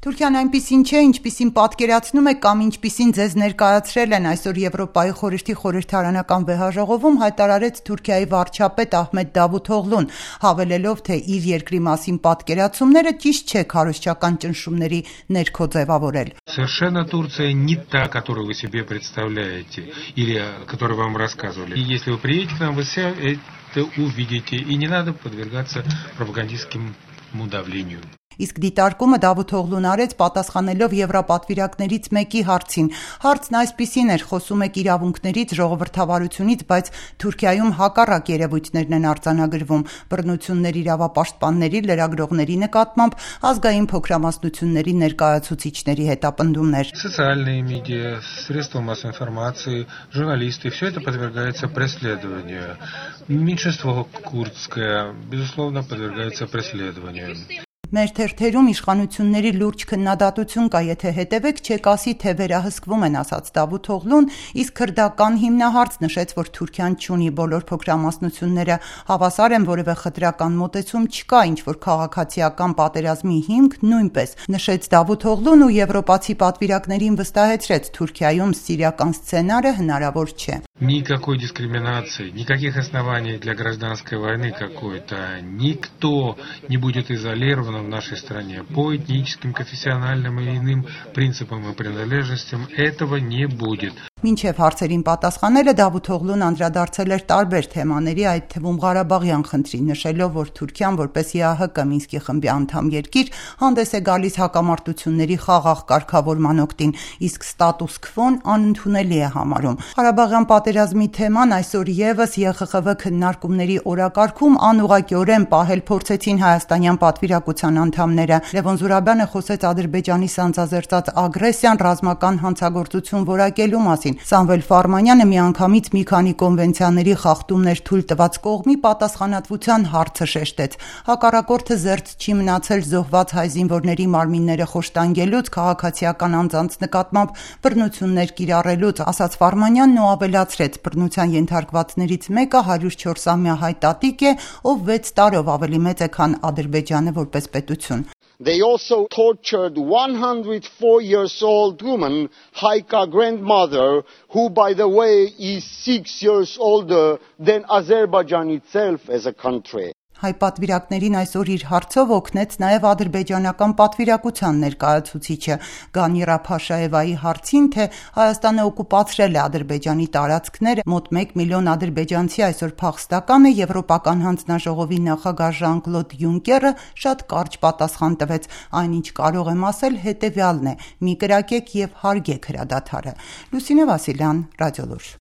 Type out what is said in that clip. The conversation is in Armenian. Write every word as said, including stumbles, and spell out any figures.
Թուրքիան այնպիսին չէ, ինչպիսին պատկերացնում է կամ ինչպիսին ձեզ ներկայացրել են այսօր Եվրոպայի խորհրդի խորհրդարանական վեհաժողովում հայտարարեց Թուրքիայի վարչապետ Ահմեդ Դավութօղլուն, հավելելով, թե իր երկրի մասին պատկերացումները ճիշտ չէ քարոզչական ճնշումների ներքո ձևավորել։ Совершенно Турция не та, которую вы себе представляете или которую вам рассказывали. И если вы приедете к нам, вы все это увидите, и не надо подвергаться пропагандистским давлению. Իսկ դիտարկումը Դավութօղլուն արեց պատասխանելով եվրապատվիրակներից մեկի հարցին։ Հարցն այսպիսին էր՝ խոսում եք իրավունքներից, ժողովրդավարությունից, բայց Թուրքիայում հակառակ երևույթներն են արձանագրվում՝ բռնություններ իրավապաշտպանների, լրագրողների նկատմամբ, ազգային փոքրամասնությունների ներկայացուցիչների հետապնդումներ։ Социальные медиа, средства массовой информации, журналисты, все это подвергается преследованию. Меньшинство курдское, безусловно, подвергается преследованию. Մեր թերթերում իշխանությունների լուրջ քննադատություն կա, եթե հետևեք, չեք ասի, թե վերահսկվում են, ասաց Դավութօղլուն, իսկ քրդական հիմնահարց նշեց, որ Թուրքիան չունի բոլոր փոքրամասնությունները հավասար են, որևէ խտրական մոտեցում չկա, ինչ որ քաղաքացիական պատերազմի հիմք նույնպես, նշեց Դավութօղլուն ու եվրոպացի պատվիրակներին վստահեցրեց, Թուրքիայում սիրիական սցենարը հնարավոր չէ։ Никакой дискриминации, никаких оснований для гражданской войны какой-то. Никто не будет изолирован в нашей стране по этническим, конфессиональным и иным принципам и принадлежностям. Этого не будет. Մինչև հարցերին պատասխանելը Դավութօղլուն անդրադարձել էր տարբեր թեմաների, այդ թվում Ղարաբաղյան խնդրին, նշելով, որ Թուրքիան որպես ԵԱՀԿ Մինսկի խմբի անդամ երկիր հանդես է գալիս հակամարտությունների խաղաղ կարգավորման օգտին, իսկ ստատուս քվոն անընդունելի է համարում։ Ղարաբաղյան պատերազմի թեման այսօր եւս ԵԽԽՎ քննարկումների օրակարգում անուղղակիորեն պահել փորձեցին հայաստանյան պատվիրակության անդամները։ Լևոն Զուրաբյանը խոսեց Ադրբեջանի սանձազերծած ագրեսիան ռազմական հանցագործություն որակելու մասին։ Սամվել Ֆարմանյանը միանգամից մի քանի կոնվենցիաների խախտումներ թույլ տված կողմի պատասխանատվության հարցը շեշտեց։ Հակառակորդը զերծ չի մնացել զոհված հայ զինվորների մարմինները խոշտանգելուց, քաղաքացիական անձանց նկատմամբ բռնություններ կիրառելուց, ասաց Ֆարմանյանն ու ավելացրեց, բռնության ենթարկվածներից մեկը հարյուր չորսամյա հայ տատիկ է, ով վեց տարով ավելի մեծ է, քան Ադրբեջանը որպես պետություն։ They also tortured one hundred four years old woman, Haika grandmother, who by the way is six years older than Azerbaijan itself as a country. Հայ պատվիրակներին այսօր իր հարցով օգնեց նաև ադրբեջանական պատվիրակության ներկայացուցիչը Գանիրա Փաշաևայի հարցին, թե Հայաստանը օկուպացրել է Ադրբեջանի տարածքները, մոտ մեկ միլիոն ադրբեջանցի այսօր փախստական է, Եվրոպական հանձնաժողովի նախագահ Ժան-Կլոդ Յունկերը շատ կարճ պատասխան տվեց, այնինչ կարող եմ ասել հետևյալն է՝ մի կրակեք եւ հարգեք հրադադարը։ Լուսինե Վասիլյան, Ռադիոլուր։